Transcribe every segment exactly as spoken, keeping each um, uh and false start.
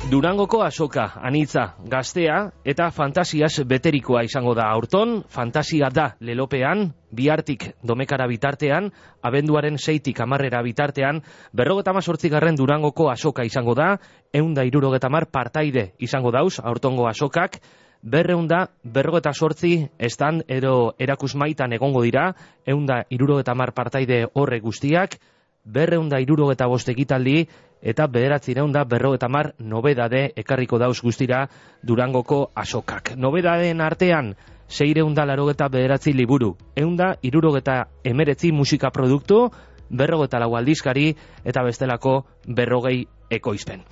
Durangoko azoka, anitza, gaztea eta fantasiaz beterikoa izango da aurton, fantasia da lelopean, bihartik domekara bitartean, abenduaren seitik amarrera bitartean, berrogeta mazortzigarren Durangoko azoka izango da, eunda irurogeta mar partaide izango dauz, aurtongo azokak, berreunda berrogeta sortzi estan edo erakusmaitan egongo dira, eunda irurogeta mar partaide horre guztiak, berreunda irurogeta bost ekitaldi, eta bederatzireunda berrogeta mar nobedade ekarriko dauz guztira Durangoko azokak. Nobedadeen artean, seireunda larogeta bederatzi liburu, eunda irurogeta emeretzi musika produktu, berrogeta lau aldizkari, eta bestelako berrogei ekoizpen.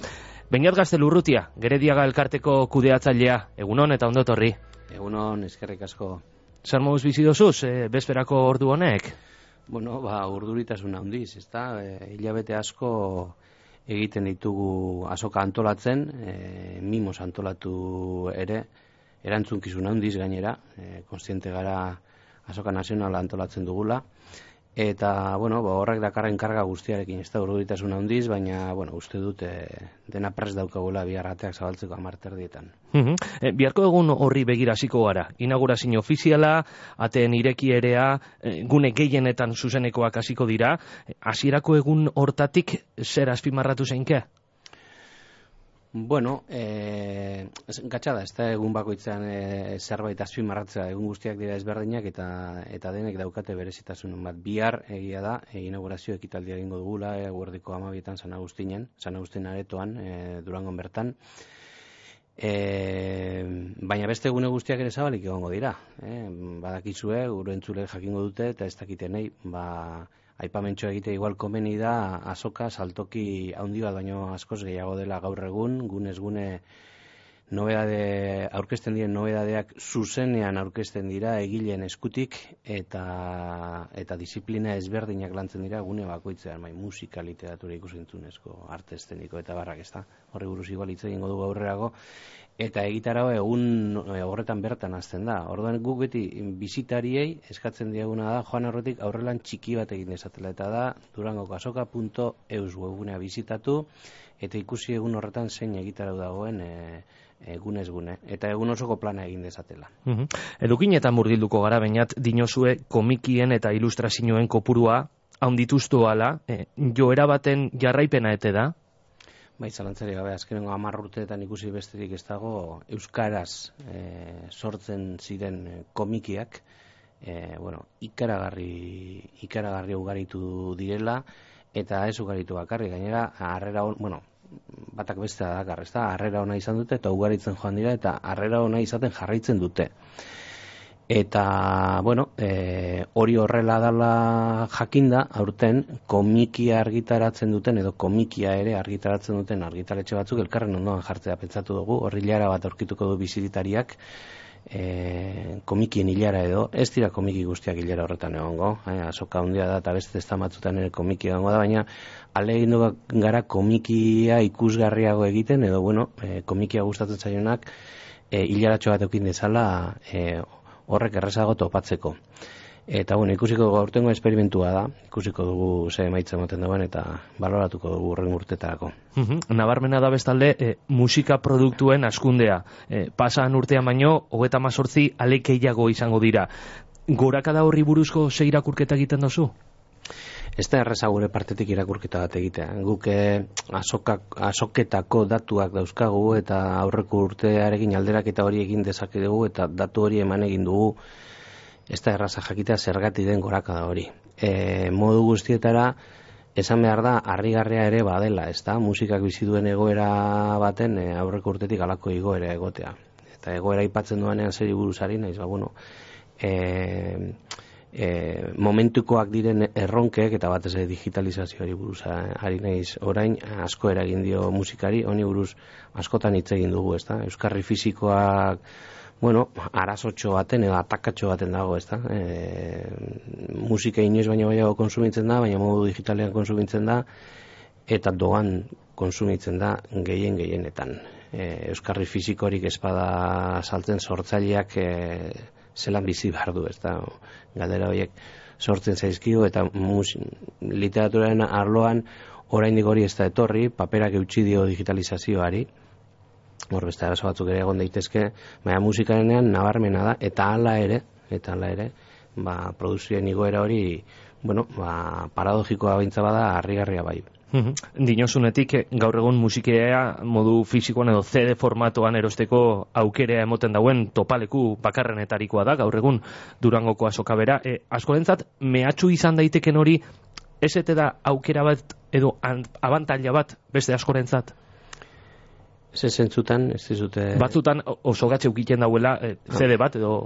Beñat Gaztelurrutia, Gerediaga elkarteko kudeatzailea, egunon eta ondotorri. Egunon, eskerrik asko. Zer moduz bizi dozuz, e, bezperako ordu honek? Bueno, ba, urduritasuna handiz, ezta? E, hilabete asko egiten ditugu azoka antolatzen, e, mimos antolatu ere, erantzunkizun handiz gainera, e, konstiente gara azoka nazionala antolatzen dugula, eta, bueno, ba, horrek dakarren karga guztiarekin, ez da urduritasun handiz, baina, bueno, uste dut e, dena prest daukagula biharrateak zabaltzeko amarterdietan. Uh-huh. E, biharko egun horri begira hasiko gara, inaugurazio ofiziala, ateen irekierea, e, gune gehienetan zuzenekoak hasiko dira, hasierako egun hortatik zer azpimarratu zeinke? Bueno, e, gatsa da, ez da egun bakoitzean e, zerbait azpimarratzea, egun guztiak dira ezberdinak eta eta denek daukate berezitasun bat. Bihar egia da, e, inaugurazio ekitaldia egingo dugula, e, eguerdiko hamabietan San Agustinen, San Agustin aretoan, e, Durangon bertan. E, baina beste egune guztiak ere zabalik egongo dira. E, badakizue, gure entzule jakingo dute, eta ez dakitenei, ba, aipamentxo egite igual komeni da azoka saltoki handi bat baino askoz gehiago dela gaur egun, gunez gune nobedade aurkezten diren nobedadeak zuzenean aurkezten dira egileen eskutik eta eta disiplina ezberdinak lantzen dira gune bakoitzean, bai musika, literatura, ikusentzunezko, arte eszeniko eta barrak, ezta. Horri buruz igual hitz egingo dugu aurrerago. Eta egitarau egun horretan bertan hasten da. Orduan guk beti bisitariei eskatzen diaguna da joan horretik aurrelan txiki bat egin dezatela. Eta da durangokasoka punto eus webgunea bisitatu eta ikusi egun horretan zein egitarau dagoen e, egunez gune. Eta egun osoko plana egin dezatela. Uh-huh. Edukinetan murgilduko gara Beñat dinozue komikien eta ilustrazioen kopurua handituztu ala, e, joera baten jarraipena ete da? Bai, zalantzari gabe, azkenengo hamar urteetan ikusi besterik ez dago euskaraz e, sortzen ziren komikiak, e, bueno, ikaragarri, ikaragarri ugaritu direla, eta ez ugaritu bakarri, gainera, harrera on, bueno, batak bestea dakar, ez da, harrera ona izan dute, eta ugaritzen joan dira, eta harrera ona izaten jarraitzen dute. Eta, bueno, e, hori horrela dela jakinda, aurten komikia argitaratzen duten, edo komikia ere argitaratzen duten argitaletxe batzuk elkarren ondoan jartzea pentsatu dugu, horri hilara bat aurkituko du bizitariak, e, komikien hilara edo, ez dira komiki guztiak hilara horretan egongo, e, azoka handia da eta beste ez da batzutan ere komikia egongo da, baina ahalegin gara komikia ikusgarriago egiten, edo, bueno, e, komikia gustatzen zaionak, e, hilaratxo bat eukin dezala, e, horrek errezago topatzeko. Eta bueno, ikusiko gaurtengo esperimentua da, ikusiko dugu ze emaitza ematen duen eta baloratuko dugu horren urtetarako. Uh-huh. Nabarmena da bestalde e, musika produktuen askundea. E, pasan urtean baino, hogeta mazortzi alekeiago izango dira. Gorakada horri buruzko ze irakurketa egiten dozu? Ez da erreza gure partetik irakurketa bat egitea. Guk azokak, azoketako datuak dauzkagu eta aurreko urtearekin alderaketa hori egin dezakegu eta datu hori eman egin dugu. Ez da erraza jakitea zergatik den gorakada hori. E, modu guztietara esan behar da harrigarria ere badela, ez da? Musikak bizi duen egoera baten e, aurreko urtetik halako igoera egotea. Eta egoera aipatzen duanean zeri buruzari naiz, ba bueno, e, E, momentukoak diren erronkek eta batez ere digitalizazioari buruz ari naiz orain asko eragin dio musikari, honi buruz askotan hitz egin dugu, ezta? Euskarri fisikoak, bueno, arazotxo baten edo atakatxo baten dago, ezta? E, musika inoiz baina baiago konsumitzen da, baina modu digitalean konsumitzen da eta doan konsumitzen da gehien gehienetan. E, Euskarri fisikorik espada saltzen sortzaileak e, zelan bizi behar du, ez da, galdera horiek sortzen zaizkio, eta mus, literaturaren arloan oraindik hori ez da etorri, paperak eutsi dio digitalizazioari, hor beste arazo batzuk ere egon daitezke, baina musikarenean nabarmena da, eta hala ere, eta hala ere, ba, produzioen igoera hori, bueno, ba, paradogikoa baintza bada, harrigarria bai. Dinosunetik, gaur egun musikea modu fisikoan edo C D formatoan erosteko aukerea emoten dauen topaleku bakarrenetarikoa da, gaur egun Durangoko azoka bera. E, askorentzat, mehatxu izan daiteken hori, ez ete da aukera bat edo abantaila bat beste askorentzat? Ez zentzutan, ez dizute... Batzutan oso gatxe ukiten dauela eh, C D bat, edo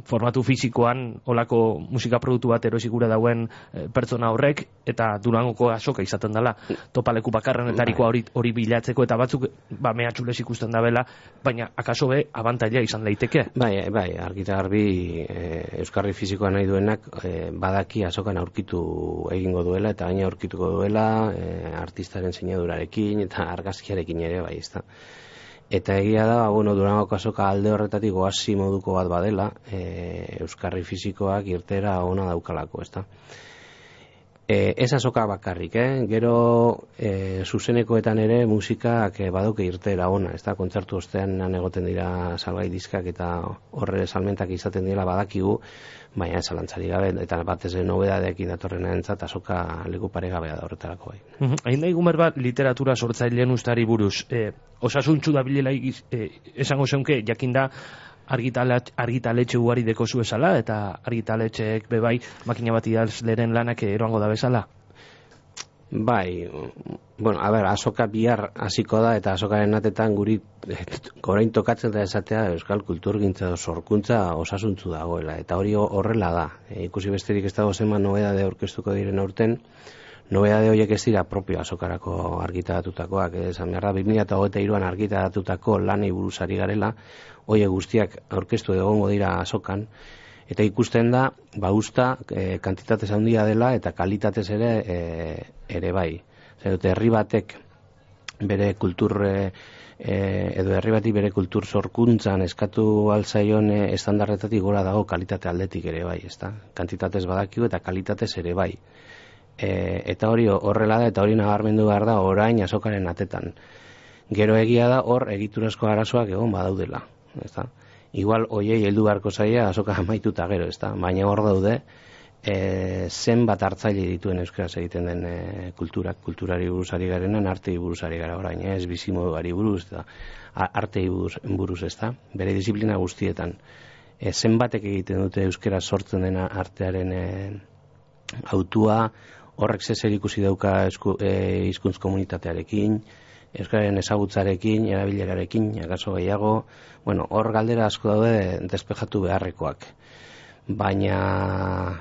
formatu fisikoan olako musika produktu bat erosikura dauen eh, pertsona horrek, eta Durangoko azoka izaten dela topaleku bakarrenetarikoa hori, hori bilatzeko, eta batzuk ba, mehatxulez ikusten dabela, baina akaso be abantaila izan daiteke. Bai, bai, argita garbi eh, euskarri fisikoa nahi duenak eh, badaki azokan aurkitu egingo duela, eta gaina aurkituko duela eh, artistaren sinadurarekin eta argazkiarekin ere, bai, ezta. Eta egia da, bueno, Durangoko azoka alde horretatik oasi moduko bat badela, e, euskarri fisikoak irtera ona daukalako, ezta. E, ez azoka bakarrik, eh? Gero e, zuzenekoetan ere musikak e, badauke irtera ona, ezta. Kontzertu ostean egoten dira salgai diskak eta horre salmentak izaten dira badakigu, baina zalantzari gabe, eta batez nobedadeekin datorren entzat azoka leku paregabea da horretarako bai. Hain da igumer bat literatura sortzailean ustari buruz, eh, osasuntxu da bilela eh, esango zeunke, jakinda argitaletxe ugari deko zu esala, eta argitaletxeek bebai makina bat idazleren lanak eroango da bezala? Bai, bueno, a ber, azoka bihar hasiko da, eta azokaren atetan guri gorain tokatzen da esatea euskal kulturgintza edo sorkuntza osasuntzu dagoela, eta hori horrela da. E, ikusi besterik ez dago zenba nobedade aurkeztuko diren aurten, nobedade horiek ez dira propio azokarako argitaratutakoak, esan behar da, bi mila hogeita hiruan argitaratutako lanei buruzari garela, horiek guztiak aurkeztu egongo dira azokan, eta ikusten da, ba usta, e, kantitatez handia dela eta kalitatez ere e, ere bai. Zer dute, herri batek bere kultur e, edo herri batik bere kultur sorkuntzan eskatu altzaion e, estandarretatik gora dago kalitate aldetik ere bai, ezta? Kantitatez badakigu eta kalitatez ere bai. E, eta hori horrela da, eta hori nabarmendu behar da orain azokaren atetan. Gero egia da hor egiturazko arazoak egon badaudela, ezta? Igual hoiei heldu beharko zaia azoka amaituta gero, ezta? Baina hor daude e, zenbat hartzaile dituen euskaraz egiten den e, kulturak, kulturari buruzari garenan, artei buruzari gara orain, ez bizimoduari buruz, eta artei buruz, buruz, ezta? Bere disiplina guztietan. E, zenbatek egiten dute euskaraz sortzen dena artearen e, autua, horrek zezer ikusi dauka esku, e, hizkuntz komunitatearekin, euskararen ezagutzarekin, erabilerarekin, akaso gehiago, bueno, hor galdera asko daude despejatu beharrekoak. Baina,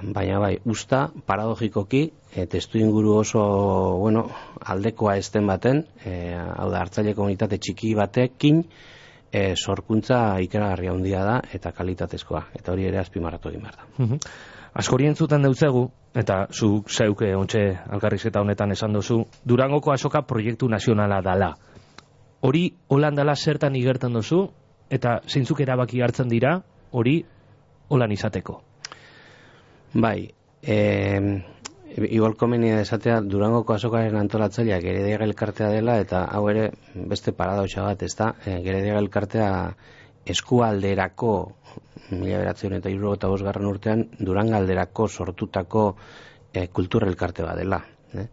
baina bai, usta, paradogikoki, e, testu inguru oso, bueno, aldekoa ezten baten, e, hau da, hartzaile komunitate txiki batekin, e, sorkuntza ikaragarria handia da, eta kalitatezkoa, eta hori ere azpimarratu egin behar da. Askori entzuten deutzegu, eta zu zeuke ontxe alkarrizketa honetan esan dozu, Durangoko azoka proiektu nazionala dala. Hori holan dala zertan igertan dozu, eta zeintzuk erabaki hartzen dira, hori holan izateko. Bai, e, igual komenia esatea Durangoko azokaren antolatzaileak Gerediaga elkartea dela, eta hau ere beste paradoxa bat, ezta? E, Gerediaga elkartea eskualderako mila bederatziehun eta hirurogeita bosgarren urtean Durangalderako sortutako e, kultur elkarte bat dela. Eh?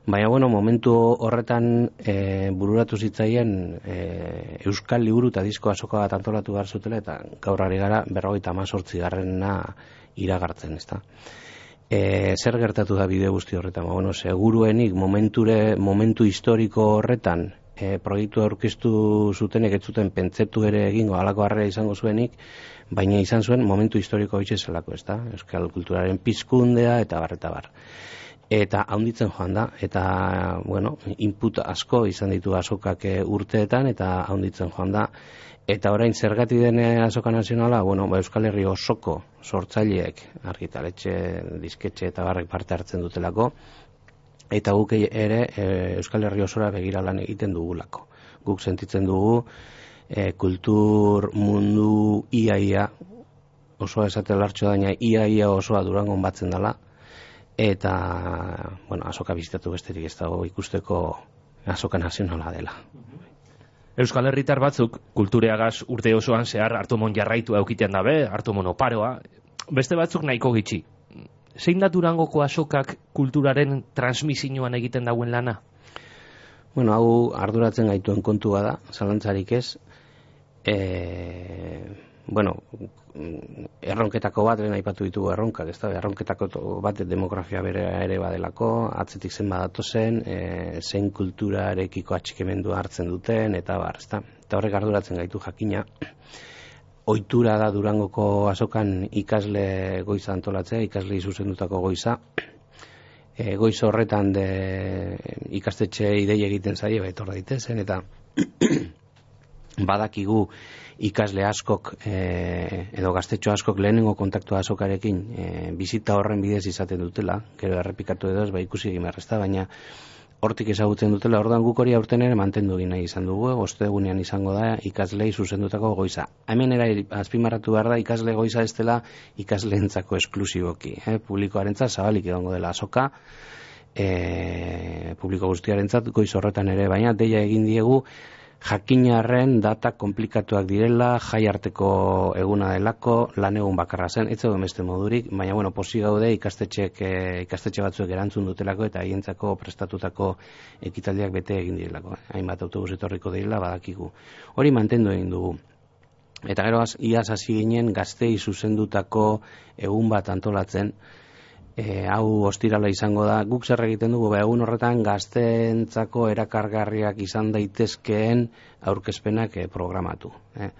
Baina, bueno, momentu horretan e, bururatu zitzaien e, Euskal Liburu eta Disko azoka bat antolatu behar zutela, eta gaur ari gara berrogeita hamazortzi garrena iragartzen, ezta. E, zer gertatu da bide guzti horretan? Ba, bueno, seguruenik momenture, momentu historiko horretan e, proiektu aurkeztu zutenek ez zuten pentsetu ere egingo halako harrera izango zuenik, baina izan zuen momentu historiko hitze zelako, ezta? Euskal kulturaren pizkundea eta bar eta bar. Eta handitzen joan da, eta, bueno, input asko izan ditu azokak urteetan, eta handitzen joan da. Eta orain zergati den azoka nazionala, bueno, ba, Euskal Herri osoko sortzaileek, argitaletxe, disketxe eta barrek parte hartzen dutelako, eta guk ere e, Euskal Herri osora begira lan egiten dugulako. Guk sentitzen dugu e, kultur mundu iaia, osoa esate lartxo daina, iaia osoa Durangon batzen dela, eta, bueno, azoka bizitatu besterik ez dago ikusteko azoka nazionala dela. Euskal Herritar batzuk kultureagaz urte osoan zehar hartumon jarraitu eukiten dabe, hartumon oparoa, beste batzuk nahiko gitxi. Zein da Durangoko azokak kulturaren transmisioan egiten dauen lana? Bueno, hau arduratzen gaituen kontua da, zalantzarik ez. E, bueno, erronketako bat, lehen aipatu ditugu erronkak, ez da, erronketako bat demografia bere ere badelako, atzetik zen badatu zen, e, zein kulturarekiko atxikemendua hartzen duten, eta bar, ez da. Eta horrek arduratzen gaitu jakina. Ohitura da Durangoko azokan ikasle goiza antolatzea, ikasle zuzendutako goiza. E, goiz horretan de ikastetxe idei egiten zaie, betor daitezen, eta badakigu ikasle askok e, edo gaztetxo askok lehenengo kontaktua azokarekin e, bizita horren bidez izaten dutela, gero errepikatu edo ez, ba ikusi egin berrezta, baina hortik ezagutzen dutela, orduan guk hori aurten ere mantendu egin nahi izan dugu, ostegunean izango da ikaslei zuzendutako goiza. Hemen era azpimarratu behar da ikasle goiza ez dela ikasleentzako esklusiboki, eh? Publikoarentzat zabalik egongo dela azoka, e, publiko guztiarentzat goiz horretan ere, baina deia egin diegu jakinarren data komplikatuak direla, jai arteko eguna delako, lan egun bakarra zen, ez zegoen beste modurik, baina bueno, posi gaude ikastetxeek, e, ikastetxe batzuek erantzun dutelako eta haientzako prestatutako ekitaldiak bete egin direlako. Hainbat autobus etorriko direla badakigu. Hori mantendu egin dugu. Eta gero iaz hasi ginen gaztei zuzendutako egun bat antolatzen, E, hau ostirala izango da, guk zer egiten dugu, ba, egun horretan gazteentzako erakargarriak izan daitezkeen aurkezpenak e, programatu. Eh.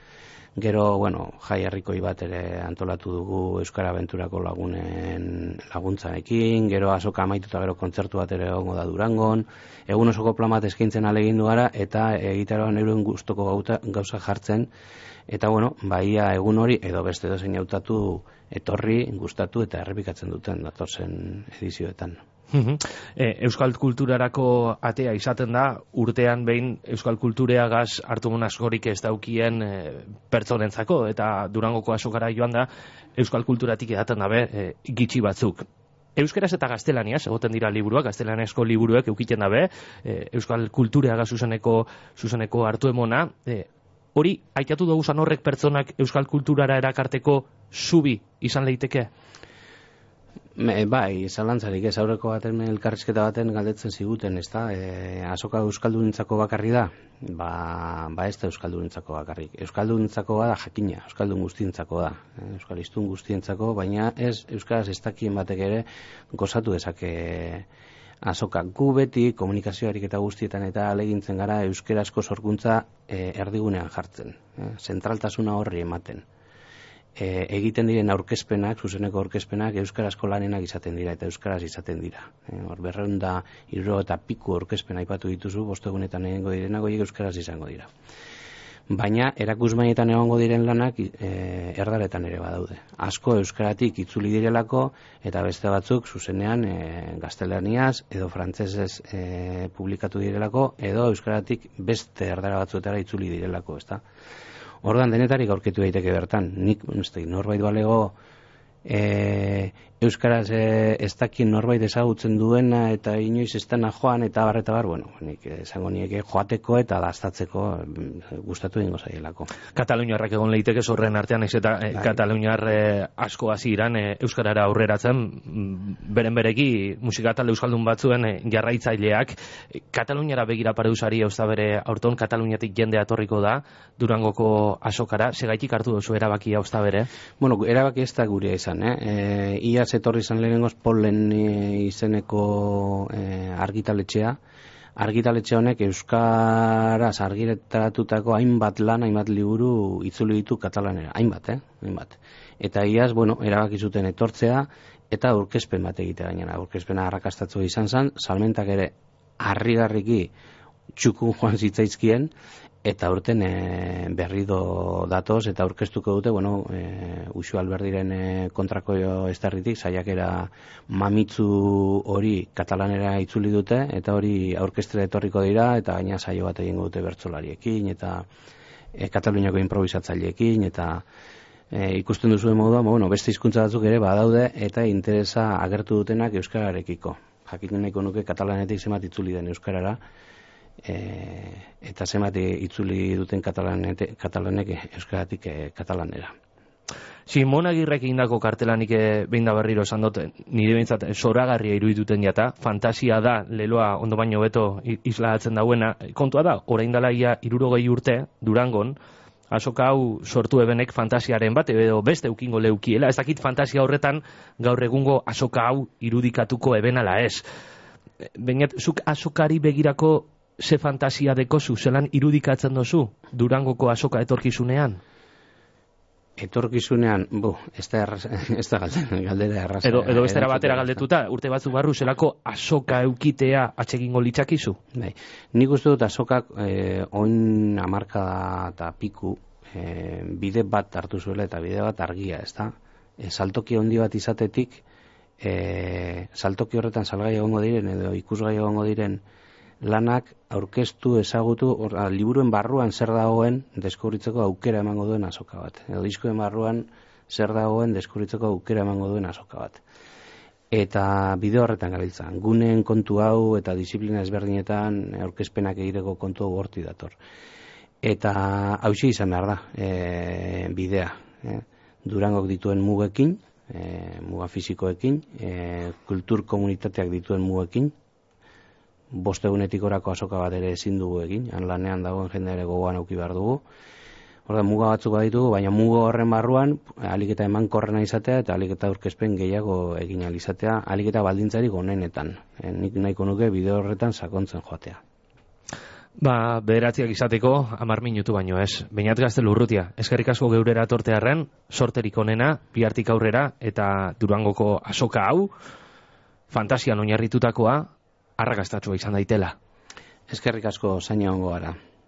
Gero, bueno, jai herrikoi bat ere antolatu dugu Euskara Abenturako lagunen laguntzarekin, gero azoka amaituta gero kontzertu bat ere egongo da Durangon, egun osoko plan bat eskaintzen alegin gara, eta egitaroan euren gustoko gauza jartzen, eta bueno, baia egun hori edo beste dozein hautatu etorri, gustatu eta errepikatzen duten datozen edizioetan. e, Euskal kulturarako atea izaten da, urtean behin Euskal kultureagaz hartumun askorik ez daukien e, pertsonentzako, eta Durangoko azokara joan da Euskal kulturatik edaten dabe e, gitxi batzuk. Euskaraz eta gaztelaniaz, egoten dira liburuak, gaztelaniazko liburuek eukiten dabe, e, Euskal kultureagaz zuzeneko, zuzeneko hartu emona, e, hori, aitatu dugu zan horrek pertsonak Euskal kulturara erakarteko zubi izan leiteke? Me, bai, zalantzarik ez, aurreko baten elkarrizketa baten galdetzen ziguten, ez da, e, azoka euskaldunentzako bakarri da? Ba, ba ez da euskaldunentzako bakarrik. Euskaldunentzako da jakina, euskaldun guztientzako da, e, euskalistun guztientzako, baina ez euskaraz ez dakien batek ere gozatu dezake azoka. Gu beti komunikazioarik eta guztietan eta alegintzen gara euskarazko sorkuntza e, erdigunean jartzen, e, zentraltasuna horri ematen. E, egiten diren aurkezpenak, zuzeneko aurkezpenak euskarazko lanenak izaten dira eta euskaraz izaten dira. E, hor berreun da irro eta piku aurkezpena aipatu dituzu, bostegunetan egingo direnak horiek euskaraz izango dira. Baina erakusmainetan egongo diren lanak e, erdaretan ere badaude. Asko euskaratik itzuli direlako eta beste batzuk zuzenean e, gaztelaniaz edo frantsesez e, publikatu direlako edo euskaratik beste erdara batzuetara itzuli direlako, ezta? Ordan denetarik aurkitu daiteke bertan. Nik uste norbait balego e, euskaraz e, ez dakien norbait ezagutzen duena eta inoiz ez dena joan eta bar eta bar, bueno, nik esango nieke joateko eta daztatzeko gustatu egingo zaielako. Kataluniarrak egon leiteke zorren artean, ez eta e, Kataluniar e, asko hasi iran e, euskarara aurreratzen, beren bereki musika talde euskaldun batzuen e, jarraitzaileak. E, Kataluniara begira pareusari eusta bere aurton Kataluniatik jende atorriko da Durangoko azokara, segaitik hartu duzu erabakia eusta bere? Bueno, erabaki ez da gurea izan, eh? E, ia etorri izan lehenengoz Polen izeneko e, argitaletxea. Argitaletxe honek euskaraz argitaratutako hainbat lan, hainbat liburu itzuli ditu katalanera. Hainbat, eh? Hainbat. Eta iaz, bueno, erabaki zuten etortzea eta aurkezpen bat egitea gainera. Aurkezpena arrakastatzu izan zen, salmentak ere harrigarriki txukun joan zitzaizkien, eta urten e, berrido datoz eta aurkeztuko dute, bueno, e, Uxu Alberdiren e, kontrako estarritik saiakera mamitzu hori katalanera itzuli dute eta hori aurkestra etorriko dira eta gaina saio bat egingo dute bertsolariekin eta e, Kataluniako improvisatzaileekin eta e, ikusten duzuen moduan, bueno, beste hizkuntza batzuk ere badaude eta interesa agertu dutenak euskararekiko. Jakin nahiko nuke katalanetik zenbat itzuli den euskarara. e, eta zenbat itzuli duten katalanek, katalanek euskaratik e, katalanera. Simon Agirrek indako kartelanik behin da berriro esan dut, nire behintzat zoragarria irudituten jata, fantasia da, leloa ondo baino beto isladatzen dauena, kontua da, orain dela ia hirurogei urte, Durangon, azoka hau sortu ebenek fantasiaren bat, edo beste eukingo leukiela, ez dakit fantasia horretan gaur egungo azoka hau irudikatuko ebenala ez. Bainat, zuk azokari begirako ze fantasia dekozu, zelan irudikatzen dozu Durangoko azoka etorkizunean? Etorkizunean, bu, ez da, erraz, ez da galdera, galdera erraza. Edo, edo bestera batera galdetuta, urte batzuk barru zelako azoka eukitea atsegingo litzakizu? Bai, nik uste dut azokak eh, oin hamarkada eta piku eh, bide bat hartu zuela eta bide bat argia, ez da? E, saltoki handi bat izatetik, e, saltoki horretan salgai egongo diren edo ikusgai egongo diren lanak aurkeztu ezagutu, or, a, liburuen barruan zer dagoen deskubritzeko aukera emango duen azoka bat. Edo diskoen barruan zer dagoen deskubritzeko aukera emango duen azoka bat. Eta bideo horretan gabiltza. Guneen kontu hau eta disiplina ezberdinetan aurkezpenak egiteko kontu hau horti dator. Eta hauxe izan behar da, e, bidea. E, Durangok dituen mugekin, e, muga fisikoekin, e, kultur komunitateak dituen mugekin, bost egunetik orako azoka bat ere ezin dugu egin, han lanean dagoen jende ere gogoan auki behar dugu. Horda, muga batzuk baditugu, baina muga horren barruan, alik eta emankorrena izatea eta alik eta aurkezpen gehiago egin ahal izatea, alik eta baldintzarik onenetan. E, nik nahiko nuke bideo horretan sakontzen joatea. Ba, bederatziak izateko, amar minutu baino ez. Beñat Gaztelu Urrutia, eskerrik asko geurera tortearren, sorterik onena, bihartik aurrera, eta Durangoko azoka hau, fantasian oinarritutakoa, arrakastatsua izan daitela. Eskerrik asko zaina ongo gara.